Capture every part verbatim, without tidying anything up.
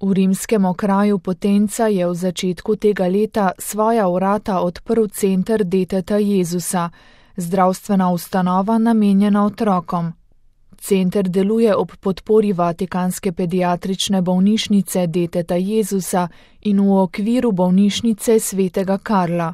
V rimskem okraju Potenza je v začetku tega leta svoja vrata odprl center Deteta Jezusa, zdravstvena ustanova namenjena otrokom. Center deluje ob podpori Vatikanske pediatrične bolnišnice Deteta Jezusa in v okviru bolnišnice Svetega Karla.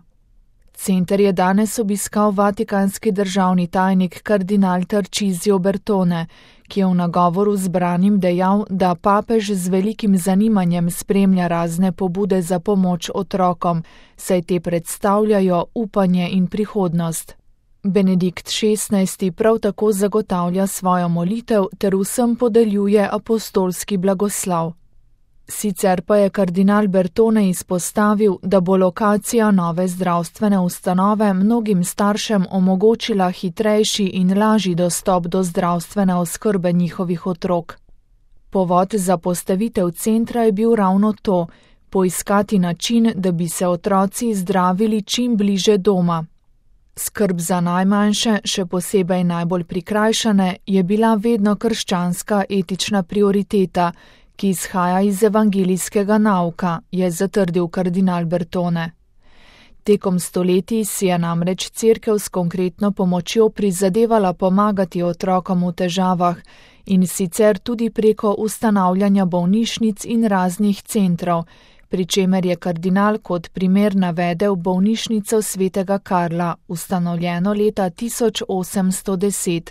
Center je danes obiskal vatikanski državni tajnik kardinal Tarcisio Bertone, ki je v nagovoru zbranim dejal, da papež z velikim zanimanjem spremlja razne pobude za pomoč otrokom, saj te predstavljajo upanje in prihodnost. Benedikt šestnajsti prav tako zagotavlja svojo molitev ter vsem podeljuje apostolski blagoslav. Sicer pa je kardinal Bertone izpostavil, da bo lokacija nove zdravstvene ustanove mnogim staršem omogočila hitrejši in lažji dostop do zdravstvene oskrbe njihovih otrok. Povod za postavitev centra je bil ravno to, poiskati način, da bi se otroci zdravili čim bliže doma. Skrb za najmanjše, še posebej najbolj prikrajšane, je bila vedno krščanska etična prioriteta, ki izhaja iz evangelijskega nauka, je zatrdil kardinal Bertone. Tekom stoletij si je namreč cerkev s konkretno pomočjo prizadevala pomagati otrokom v težavah in sicer tudi preko ustanavljanja bolnišnic in raznih centrov, pri čemer je kardinal kot primer navedel bolnišnico Svetega Karla, ustanovljeno leta tisoč osemsto deset.